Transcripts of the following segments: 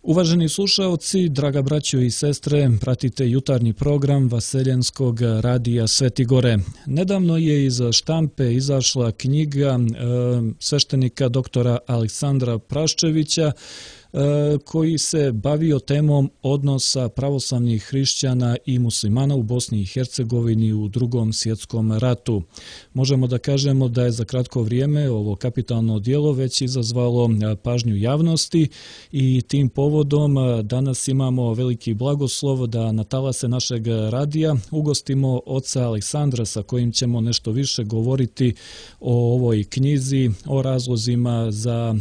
Uvaženi slušaoci, draga braćo i sestre, pratite jutarnji program Vaseljenskog radija Sveti Gore. Nedavno je iz štampe izašla knjiga sveštenika doktora Aleksandra Praščevića koji se bavio temom odnosa pravoslavnih hrišćana i muslimana u Bosni i Hercegovini u Drugom svjetskom ratu. Možemo da kažemo da je za kratko vrijeme ovo kapitalno djelo već izazvalo pažnju javnosti i tim povodom danas imamo veliki blagoslov da na talase našeg radija ugostimo oca Aleksandra sa kojim ćemo nešto više govoriti o ovoj knjizi, o razlozima za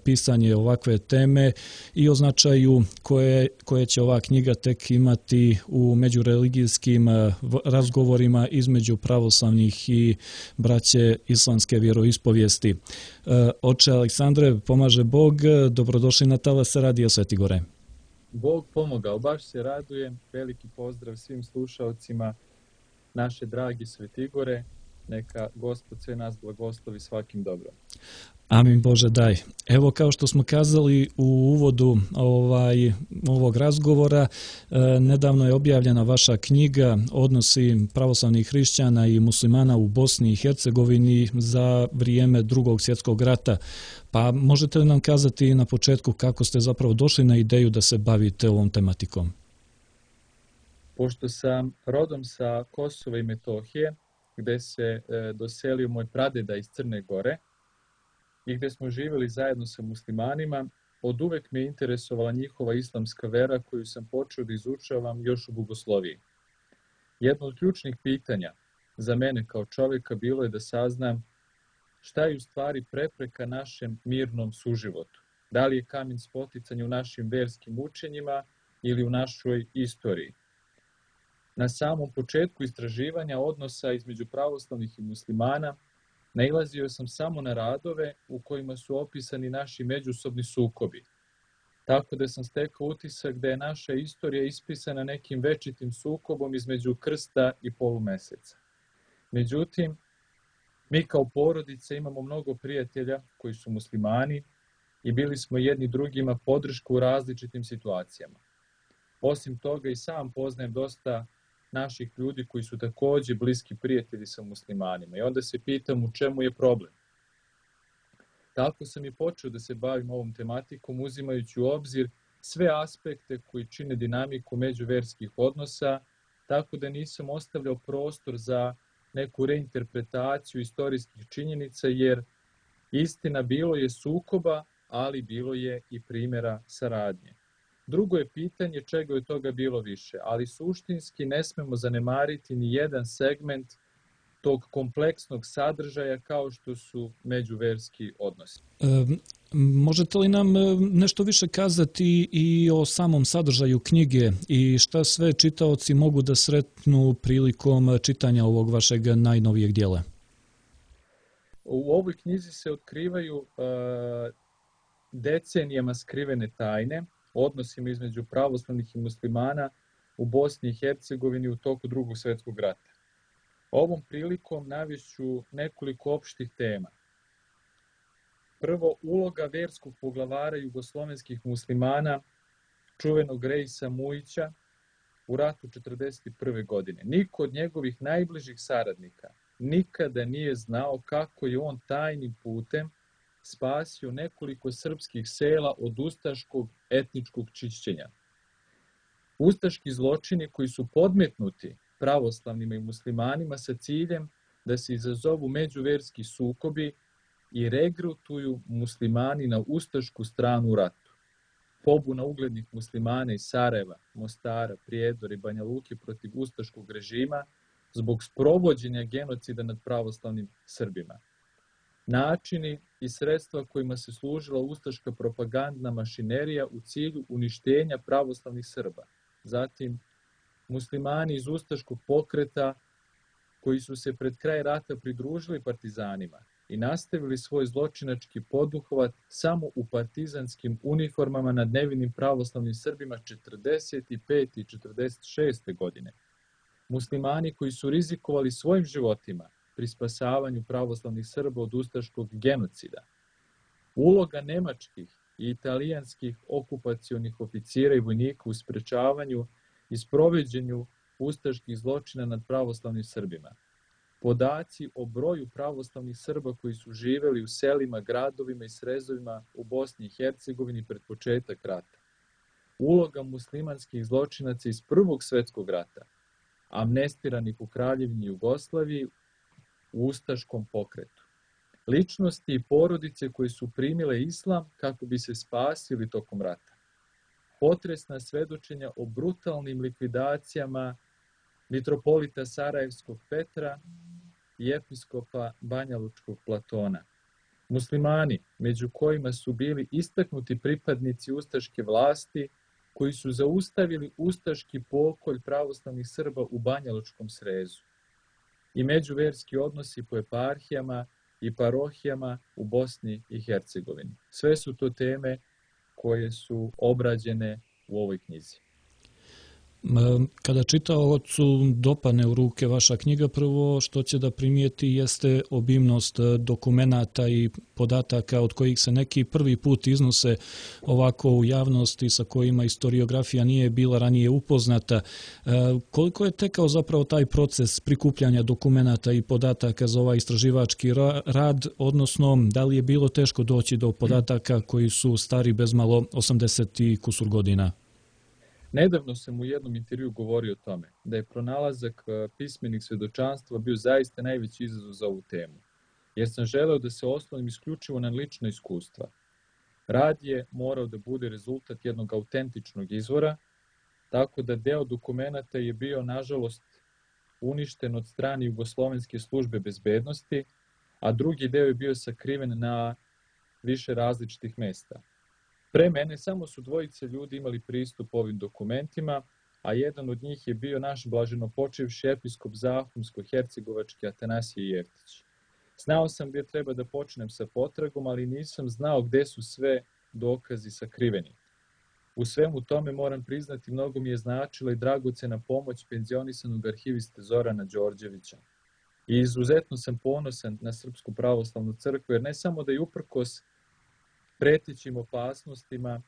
pisanje ovakve teme i o značaju koje će ova knjiga tek imati u međureligijskim razgovorima između pravoslavnih i braće islamske vjeroispovijesti. Oče Aleksandre, pomaže Bog, dobrodošli na talase radija Sveti Gore. Bog pomogao, baš se radujem. Veliki pozdrav svim slušalcima naše dragi Sveti Gore. Neka Gospod sve nas blagoslovi svakim dobrom. Amin Bože daj. Evo kao što smo kazali u uvodu ovog razgovora, nedavno je objavljena vaša knjiga Odnosi pravoslavnih hrišćana i muslimana u Bosni i Hercegovini za vrijeme Drugog svjetskog rata. Pa možete li nam kazati na početku kako ste zapravo došli na ideju da se bavite ovom tematikom? Pošto sam rodom sa Kosova i Metohije, gde se doselio moj pradeda iz Crne Gore, i gdje smo živjeli zajedno sa muslimanima, od uvek me interesovala njihova islamska vera koju sam počeo da izučavam još u bogosloviji. Jedno od ključnih pitanja za mene kao čovjeka bilo je da saznam šta je u stvari prepreka našem mirnom suživotu. Da li je kamen spoticanja u našim verskim učenjima ili u našoj istoriji. Na samom početku istraživanja odnosa između pravoslavnih i muslimana nailazio sam samo na radove u kojima su opisani naši međusobni sukobi. Tako da sam stekao utisak da je naša istorija ispisana nekim večitim sukobom između krsta i polumeseca. Međutim, mi kao porodice imamo mnogo prijatelja koji su muslimani i bili smo jedni drugima podršku u različitim situacijama. Osim toga i sam poznajem dosta naših ljudi koji su također bliski prijatelji sa muslimanima. I onda se pitam u čemu je problem. Tako sam i počeo da se bavim ovom tematikom uzimajući u obzir sve aspekte koji čine dinamiku međuverskih odnosa, tako da nisam ostavljao prostor za neku reinterpretaciju istorijskih činjenica, jer istina bilo je sukoba, ali bilo je i primjera saradnje. Drugo je pitanje čega je toga bilo više, ali suštinski ne smemo zanemariti ni jedan segment tog kompleksnog sadržaja kao što su međuverski odnosi. Možete li nam nešto više kazati i o samom sadržaju knjige i šta sve čitaoci mogu da sretnu prilikom čitanja ovog vašeg najnovijeg dijela? U ovoj knjizi se otkrivaju decenijama skrivene tajne, odnosima između pravoslavnih i muslimana u Bosni i Hercegovini u toku Drugog svjetskog rata. Ovom prilikom navešću nekoliko opštih tema. Prvo, uloga verskog poglavara jugoslovenskih muslimana, čuvenog Rejsa Mujića, u ratu 1941. godine. Niko od njegovih najbližih saradnika nikada nije znao kako je on tajnim putem spasio nekoliko srpskih sela od ustaškog etničkog čišćenja. Ustaški zločini koji su podmetnuti pravoslavnima i muslimanima sa ciljem da se izazovu međuverski sukobi i regrutuju muslimani na ustašku stranu u ratu. Pobuna uglednih muslimana iz Sarajeva, Mostara, Prijedora i Banja Luke protiv ustaškog režima zbog sprovođenja genocida nad pravoslavnim Srbima. Načini i sredstva kojima se služila ustaška propagandna mašinerija u cilju uništenja pravoslavnih Srba. Zatim, muslimani iz ustaškog pokreta koji su se pred kraj rata pridružili partizanima i nastavili svoj zločinački poduhvat samo u partizanskim uniformama nad nevinim pravoslavnim Srbima 45. i 46. godine. Muslimani koji su rizikovali svojim životima pri spasavanju pravoslavnih Srba od ustaškog genocida. Uloga nemačkih i italijanskih okupacionih oficira i vojnika u sprečavanju i sprovođenju ustaških zločina nad pravoslavnim Srbima. Podaci o broju pravoslavnih Srba koji su živjeli u selima, gradovima i srezovima u Bosni i Hercegovini pred početak rata. Uloga muslimanskih zločinaca iz Prvog svjetskog rata, amnestiranih u Kraljevini Jugoslaviji u ustaškom pokretu. Ličnosti i porodice koje su primile islam kako bi se spasili tokom rata. Potresna svedočenja o brutalnim likvidacijama mitropolita Sarajevskog Petra i episkopa Banjalučkog Platona. Muslimani, među kojima su bili istaknuti pripadnici ustaške vlasti, koji su zaustavili ustaški pokolj pravoslavnih Srba u Banjalučkom srezu. I međuverski odnosi po eparhijama i parohijama u Bosni i Hercegovini. Sve su to teme koje su obrađene u ovoj knjizi. Kada čitaocu dopadne u ruke vaša knjiga, prvo što će da primijeti jeste obimnost dokumenata i podataka od kojih se neki prvi put iznose ovako u javnosti, sa kojima historiografija nije bila ranije upoznata. Koliko je tekao zapravo taj proces prikupljanja dokumenata i podataka za ovaj istraživački rad, odnosno da li je bilo teško doći do podataka koji su stari bezmalo 80 i kusur godina? Nedavno sam u jednom intervju govorio o tome da je pronalazak pismenih svjedočanstva bio zaista najveći izazov za ovu temu, jer sam želeo da se oslonim isključivo na lična iskustva. Rad je morao da bude rezultat jednog autentičnog izvora, tako da deo dokumenata je bio, nažalost, uništen od strane Jugoslovenske službe bezbednosti, a drugi deo je bio sakriven na više različitih mesta. Pre mene samo su dvojice ljudi imali pristup ovim dokumentima, a jedan od njih je bio naš blaženopočivši episkop Zahumsko-hercegovački Atanasije Jeftić. Znao sam gdje treba da počnem sa potragom, ali nisam znao gdje su sve dokazi sakriveni. U svemu tome, moram priznati, mnogo mi je značila i dragocena pomoć penzionisanog arhiviste Zorana Đorđevića. I izuzetno sam ponosan na Srpsku pravoslavnu crkvu, jer ne samo da je uprkos pretećim opasnostima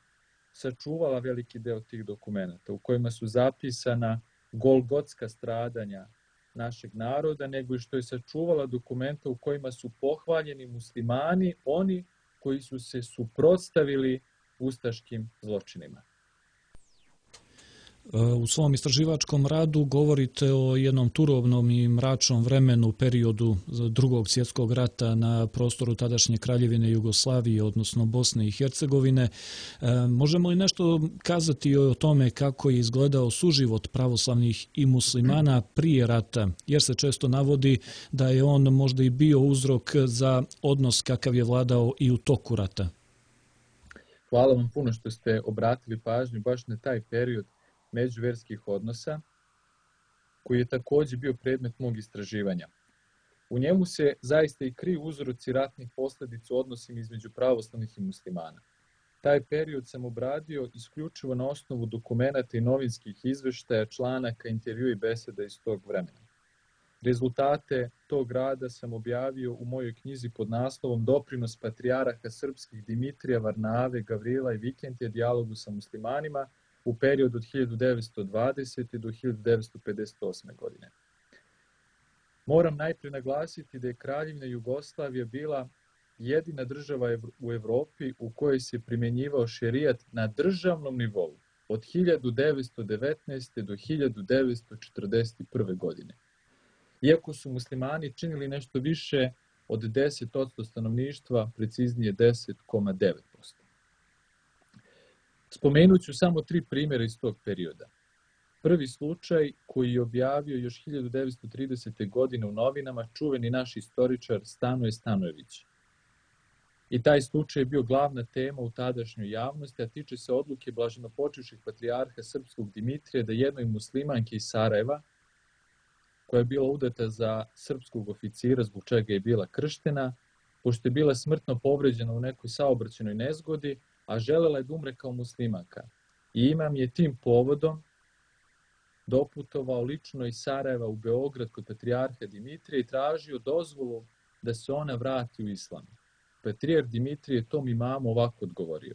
sačuvala veliki deo tih dokumenata u kojima su zapisana golgotska stradanja našeg naroda, nego i što je sačuvala dokumenta u kojima su pohvaljeni muslimani, oni koji su se suprotstavili ustaškim zločinima. U svom istraživačkom radu govorite o jednom turovnom i mračnom vremenu, periodu Drugog svjetskog rata na prostoru tadašnje Kraljevine Jugoslavije, odnosno Bosne i Hercegovine. Možemo li nešto kazati o tome kako je izgledao suživot pravoslavnih i muslimana prije rata, jer se često navodi da je on možda i bio uzrok za odnos kakav je vladao i u toku rata? Hvala vam puno što ste obratili pažnju baš na taj period međuverskih odnosa, koji je također bio predmet mog istraživanja. U njemu se zaista i kriju uzroci ratnih posljedica u odnosima između pravoslavnih i muslimana. Taj period sam obradio isključivo na osnovu dokumenata i novinskih izveštaja, članaka, intervjua i beseda iz tog vremena. Rezultate tog rada sam objavio u mojoj knjizi pod naslovom Doprinos patrijarha srpskih Dimitrija, Varnave, Gavrila i Vikentija dijalogu sa muslimanima u periodu od 1920. do 1958. godine. Moram najprije naglasiti da je Kraljevina Jugoslavija bila jedina država u Evropi u kojoj se primjenjivao šerijat na državnom nivou od 1919. do 1941. godine. Iako su muslimani činili nešto više od 10% stanovništva, preciznije 10,9%. Spomenut ću samo 3 primjera iz tog perioda. Prvi slučaj, koji je objavio još 1930. godine u novinama čuveni naš istoričar Stanoje Stanojević. I taj slučaj je bio glavna tema u tadašnjoj javnosti, a tiče se odluke blaženopočivših patrijarha srpskog Dimitrija da jednoj muslimanki iz Sarajeva, koja je bila udata za srpskog oficira, zbog čega je bila krštena, pošto je bila smrtno povređena u nekoj saobraćajnoj nezgodi, a želela je da umre kao muslimanka. I imam je tim povodom doputovao lično iz Sarajeva u Beograd kod patrijarha Dimitrija i tražio dozvolu da se ona vrati u islam. Patrijarh Dimitrije je tom imamu ovako odgovorio: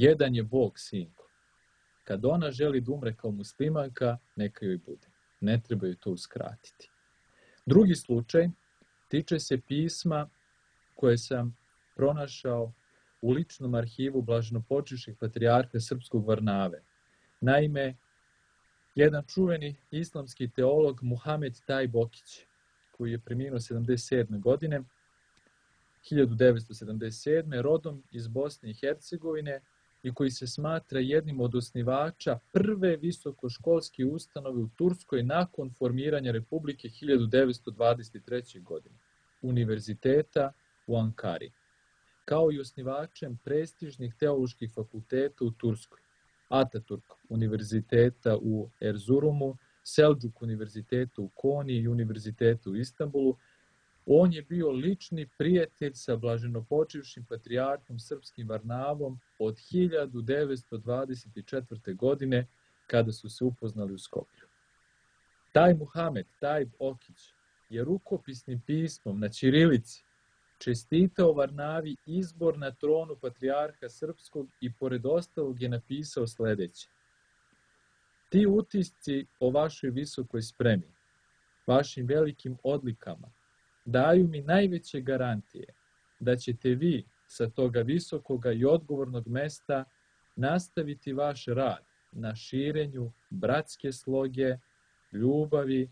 jedan je Bog, sinko. Kad ona želi da umre kao muslimanka, neka joj bude. Ne treba joj to uskratiti. Drugi slučaj tiče se pisma koje sam pronašao u ličnom arhivu blaženopočivših patrijarha srpskog Varnave. Naime, jedan čuveni islamski teolog Muhamed Taj Bokić, koji je preminuo 77. godine, 1977. rodom iz Bosne i Hercegovine i koji se smatra jednim od osnivača prve visokoškolske ustanove u Turskoj nakon formiranja Republike 1923. godine, Univerziteta u Ankari, kao i osnivačem prestižnih teoloških fakulteta u Turskoj, Ataturk univerziteta u Erzurumu, Selđuk univerziteta u Koni i univerziteta u Istanbulu. On je bio lični prijatelj sa blaženopočivšim patrijarhom srpskim Varnavom od 1924. godine kada su se upoznali u Skoplju. Taj Muhamed, taj Bokić, je rukopisnim pismom na ćirilici čestitao Varnavi izbor na tronu patrijarha srpskog i pored ostalog je napisao sljedeće. Ti utisci o vašoj visokoj spremi, vašim velikim odlikama, daju mi najveće garantije da ćete vi sa toga visokoga i odgovornog mesta nastaviti vaš rad na širenju bratske sloge, ljubavi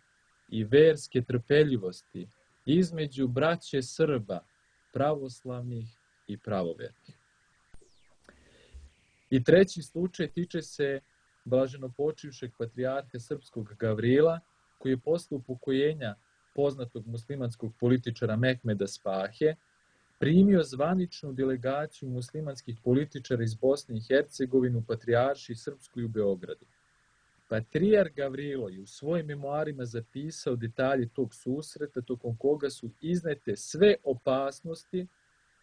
i verske trpeljivosti između braće Srba, pravoslavnih i pravovernih. I treći slučaj tiče se blaženopočivšeg patrijarha srpskog Gavrila, koji je posle upokojenja poznatog muslimanskog političara Mehmeda Spahe primio zvaničnu delegaciju muslimanskih političara iz Bosne i Hercegovine u Patrijaršiji Srpskoj u Beogradu. Patrijar Gavrilo je u svojim memoarima zapisao detalje tog susreta, tokom koga su iznete sve opasnosti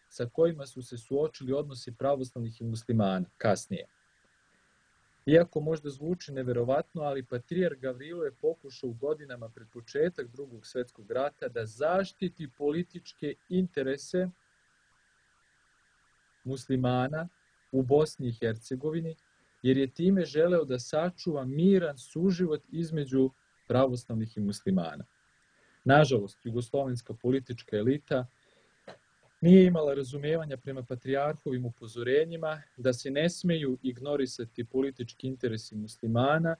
sa kojima su se suočili odnosi pravoslavnih i muslimana kasnije. Iako možda zvuči neverovatno, ali patrijar Gavrilo je pokušao u godinama pred početak Drugog svjetskog rata da zaštiti političke interese muslimana u Bosni i Hercegovini, jer je time želeo da sačuva miran suživot između pravoslavnih i muslimana. Nažalost, jugoslovenska politička elita nije imala razumijevanja prema patrijarhovim upozorenjima da se ne smeju ignorisati politički interesi muslimana,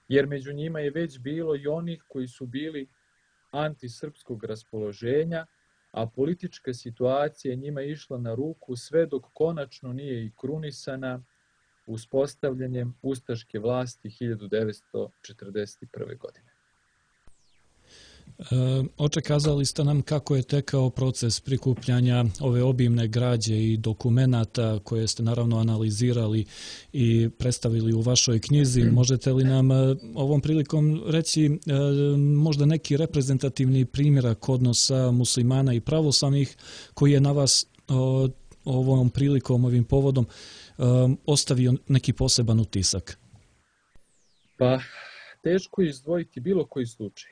jer među njima je već bilo i onih koji su bili antisrpskog raspoloženja, a politička situacija njima je išla na ruku sve dok konačno nije i krunisana uspostavljanjem ustaške vlasti 1941. godine. Očekazali ste nam kako je tekao proces prikupljanja ove obimne građe i dokumenata koje ste naravno analizirali i predstavili u vašoj knjizi. Možete li nam ovom prilikom reći možda neki reprezentativni primjerak odnosa muslimana i pravoslavnih koji je na vas ovom prilikom, ovim povodom ostavio neki poseban utisak? Pa, teško je izdvojiti bilo koji slučaj,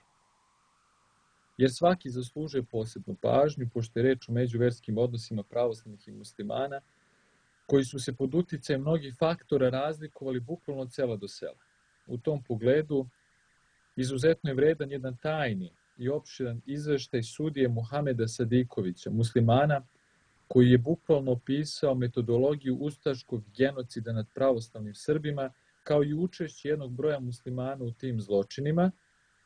jer svaki zaslužuje posebnu pažnju, pošto je reč o međuverskim odnosima pravoslavnih i muslimana, koji su se pod uticajem mnogih faktora razlikovali bukvalno od sela do sela. U tom pogledu, izuzetno je vredan jedan tajni i opširan izveštaj sudije Muhameda Sadikovića, muslimana, koji je bukvalno opisao metodologiju ustaškog genocida nad pravoslavnim Srbima, kao i učešće jednog broja muslimana u tim zločinima,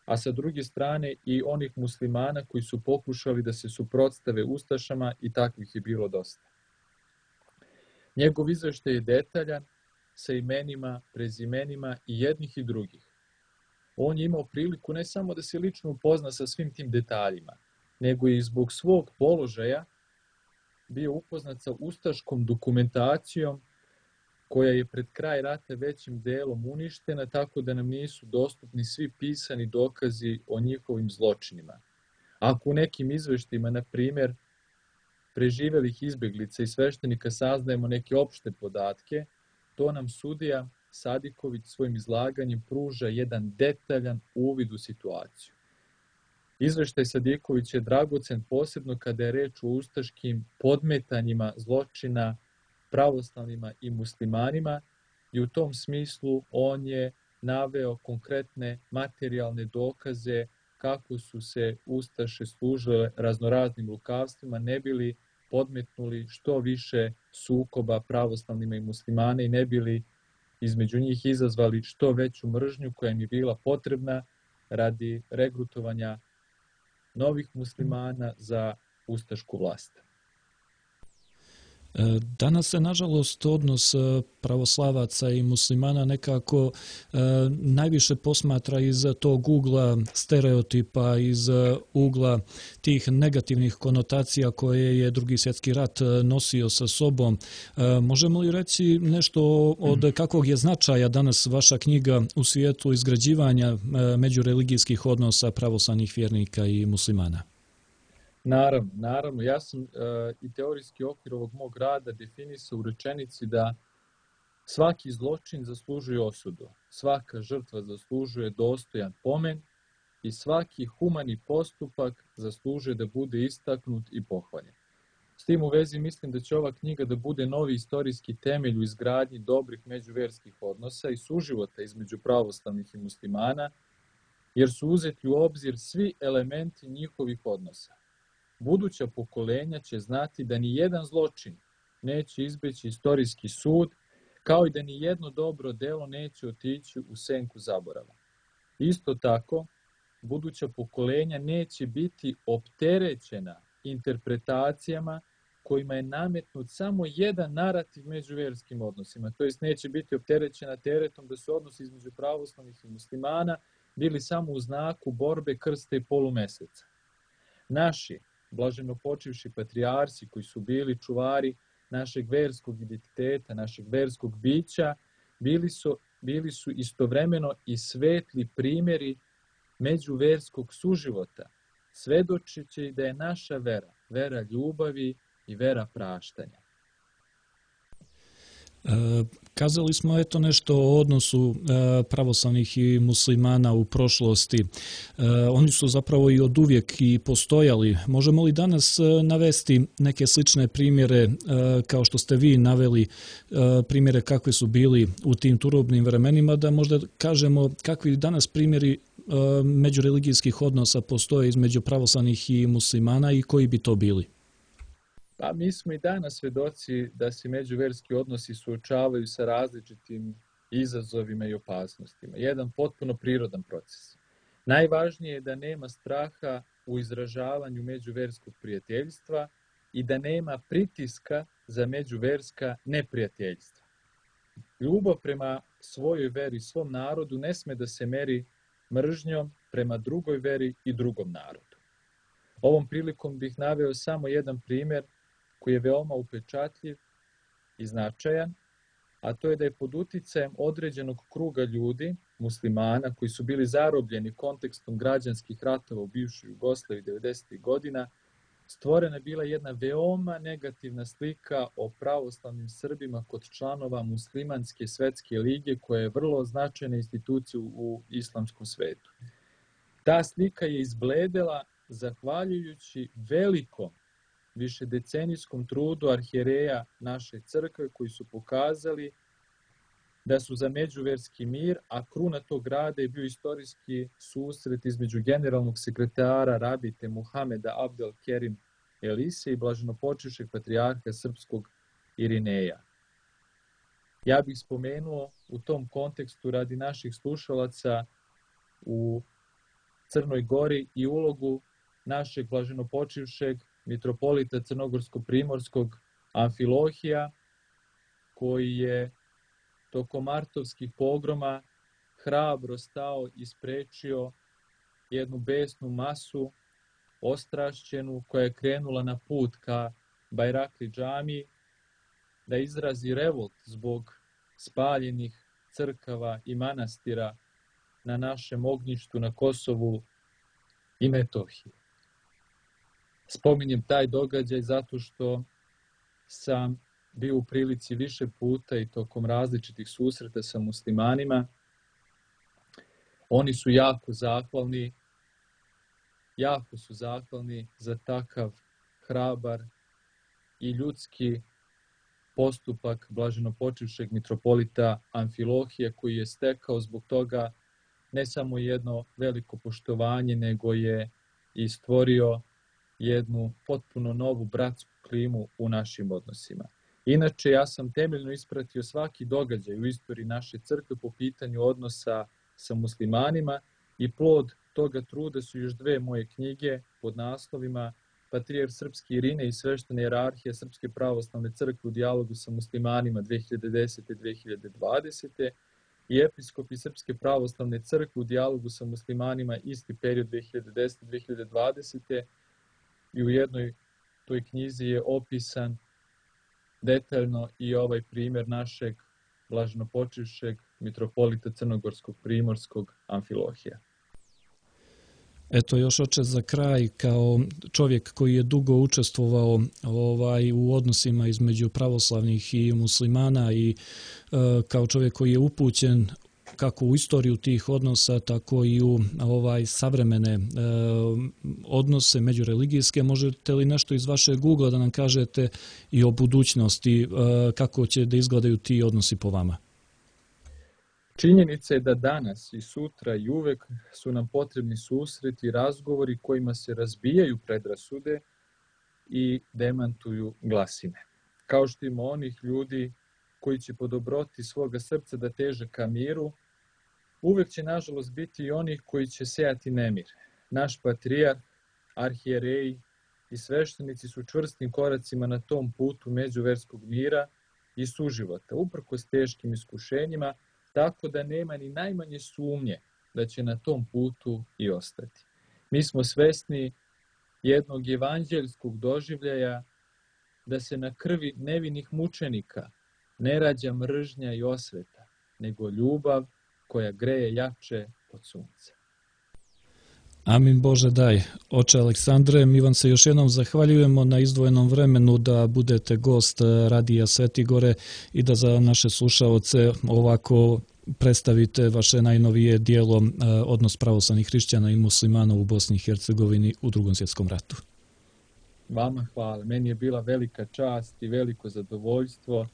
a sa druge strane i onih muslimana koji su pokušali da se suprotstave ustašama i takvih je bilo dosta. Njegov izveštaj je detaljan, sa imenima, prezimenima i jednih i drugih. On je imao priliku ne samo da se lično upozna sa svim tim detaljima, nego i zbog svog položaja bio upoznat sa ustaškom dokumentacijom koja je pred kraj rata većim delom uništena, tako da nam nisu dostupni svi pisani dokazi o njihovim zločinima. Ako u nekim izveštima, na primjer, preživelih izbjeglica i sveštenika saznajemo neke opšte podatke, to nam sudija Sadiković svojim izlaganjem pruža jedan detaljan uvid u situaciju. Izveštaj Sadiković je dragocen posebno kada je reč o ustaškim podmetanjima zločina pravoslavnima i muslimanima i u tom smislu on je naveo konkretne materijalne dokaze kako su se ustaše služile raznoraznim lukavstvima, ne bili podmetnuli što više sukoba pravoslavnima i muslimana i ne bili između njih izazvali što veću mržnju koja im je bila potrebna radi regrutovanja novih muslimana za ustašku vlast. Danas se, nažalost, odnos pravoslavaca i muslimana nekako najviše posmatra iz tog ugla stereotipa, iz ugla tih negativnih konotacija koje je Drugi svjetski rat nosio sa sobom. Možemo li reći nešto od kakvog je značaja danas vaša knjiga u svijetu izgrađivanja međureligijskih odnosa pravoslavnih vjernika i muslimana? Naravno. Ja sam i teorijski okvir ovog mog rada definisao u rečenici da svaki zločin zaslužuje osudu, svaka žrtva zaslužuje dostojan pomen i svaki humani postupak zaslužuje da bude istaknut i pohvaljen. S tim u vezi mislim da će ova knjiga da bude novi istorijski temelj u izgradnji dobrih međuvjerskih odnosa i suživota između pravoslavnih i muslimana, jer su uzeti u obzir svi elementi njihovih odnosa. Buduća pokolenja će znati da ni jedan zločin neće izbeći istorijski sud, kao i da ni jedno dobro delo neće otići u senku zaborava. Isto tako, buduća pokolenja neće biti opterećena interpretacijama kojima je nametnut samo jedan narativ među vjerskim odnosima, to jest neće biti opterećena teretom da su odnosi između pravoslavnih i muslimana bili samo u znaku borbe krsta i polumeseca. Naši blaženo počivši patrijarsi koji su čuvari našeg verskog identiteta, našeg verskog bića, bili su istovremeno i svetli primjeri međuverskog suživota, svedočeći da je naša vera ljubavi i vera praštanja. Kazali smo nešto o odnosu pravoslavnih i muslimana u prošlosti. Oni su zapravo i oduvijek i postojali. Možemo li danas navesti neke slične primjere, kao što ste vi naveli, primjere kakvi su bili u tim turobnim vremenima, da možda kažemo kakvi danas primjeri međureligijskih odnosa postoje između pravoslavnih i muslimana i koji bi to bili? Pa mi smo i danas svedoci da se međuverski odnosi suočavaju sa različitim izazovima i opasnostima. Jedan potpuno prirodan proces. Najvažnije je da nema straha u izražavanju međuverskog prijateljstva i da nema pritiska za međuverska neprijateljstva. Ljubav prema svojoj veri, svom narodu ne sme da se meri mržnjom prema drugoj veri i drugom narodu. Ovom prilikom bih naveo samo jedan primjer koji je veoma upečatljiv i značajan, a to je da je pod uticajem određenog kruga ljudi, muslimana, koji su bili zarobljeni kontekstom građanskih ratova u bivšoj Jugoslaviji 90. godina, stvorena bila jedna veoma negativna slika o pravoslavnim Srbima kod članova Muslimanske svetske lige, koja je vrlo značajna institucija u islamskom svetu. Ta slika je izbledela zahvaljujući velikom višedecenijskom trudu arhijereja naše crkve koji su pokazali da su za međuverski mir, a kruna tog rada je bio istorijski susret između generalnog sekretara rabite Muhameda Abdel Kerim Elise i blaženopočivšeg patrijarha srpskog Irineja. Ja bih spomenuo u tom kontekstu radi naših slušalaca u Crnoj Gori i ulogu našeg blaženopočivšeg mitropolita crnogorsko-primorskog Amfilohija, koji je tokom martovskih pogroma hrabro stao i sprečio jednu besnu masu ostrašćenu koja je krenula na put ka Bajrakli džamiji da izrazi revolt zbog spaljenih crkava i manastira na našem ognjištu na Kosovu i Metohiji. Spominjem taj događaj zato što sam bio u prilici više puta i tokom različitih susreta sa muslimanima. Oni su jako zahvalni za takav hrabar i ljudski postupak blaženopočivšeg mitropolita Amfilohija koji je stekao zbog toga ne samo jedno veliko poštovanje, nego je i stvorio jednu potpuno novu bratsku klimu u našim odnosima. Inače, ja sam temeljno ispratio svaki događaj u istoriji naše crkve po pitanju odnosa sa muslimanima i plod toga truda su još dve moje knjige pod naslovima Patrijarh Srpski Irinej i sveštena hijerarhija Srpske pravoslavne crkve u dijalogu sa muslimanima 2010-2020 i Episkopi Srpske pravoslavne crkve u dijalogu sa muslimanima isti period 2010-2020 i u jednoj toj knjizi je opisan detaljno i ovaj primjer našeg blaženopočivšeg mitropolita crnogorskog primorskog Amfilohija. Eto još oče za kraj, kao čovjek koji je dugo učestvovao u odnosima između pravoslavnih i muslimana i kao čovjek koji je upućen kako u istoriju tih odnosa, tako i u savremene odnose međureligijske. Možete li nešto iz vašeg ugla da nam kažete i o budućnosti, kako će da izgledaju ti odnosi po vama? Činjenica je da danas i sutra i uvek su nam potrebni susreti i razgovori kojima se razbijaju predrasude i demantuju glasine. Kao što ima onih ljudi koji će po dobroti svoga srca da teže ka miru, uvek će nažalost biti i onih koji će sejati nemir. Naš patrijarh, arhijereji i sveštenici su čvrstim koracima na tom putu međuverskog mira i suživota, uprkos teškim iskušenjima, tako da nema ni najmanje sumnje da će na tom putu i ostati. Mi smo svesni jednog evanđeljskog doživljaja da se na krvi nevinih mučenika ne rađa mržnja i osveta, nego ljubav koja greje jače od sunca. Amin Bože daj. Oče Aleksandre, mi vam se još jednom zahvaljujemo na izdvojenom vremenu da budete gost Radija Svetigore i da za naše slušaoce ovako predstavite vaše najnovije dijelo Odnos pravoslavnih hrišćana i muslimana u Bosni i Hercegovini u Drugom svjetskom ratu. Vama hvala. Meni je bila velika čast i veliko zadovoljstvo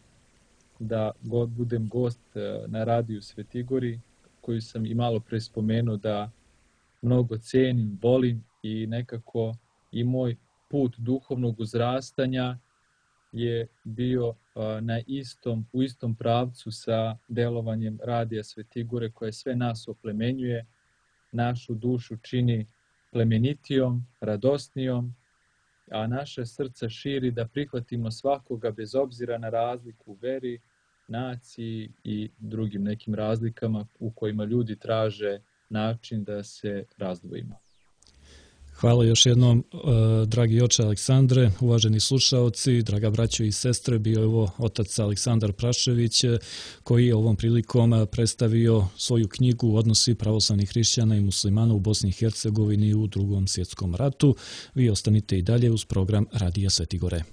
da budem gost na Radiju Svetigori, koju sam i malo pre spomenuo da mnogo cenim, volim i nekako i moj put duhovnog uzrastanja je bio u istom pravcu sa delovanjem Radija Svetigore koje sve nas oplemenjuje, našu dušu čini plemenitijom, radosnijom, a naše srce širi da prihvatimo svakoga bez obzira na razliku u veri, naciji i drugim nekim razlikama u kojima ljudi traže način da se razdvojimo. Hvala još jednom, dragi oče Aleksandre, uvaženi slušaoci, draga braćo i sestre, bio je ovo otac Aleksandar Prašević koji je ovom prilikom predstavio svoju knjigu Odnosi pravoslavnih hrišćana i muslimana u Bosni i Hercegovini u Drugom svjetskom ratu. Vi ostanite i dalje uz program Radija Svetigore.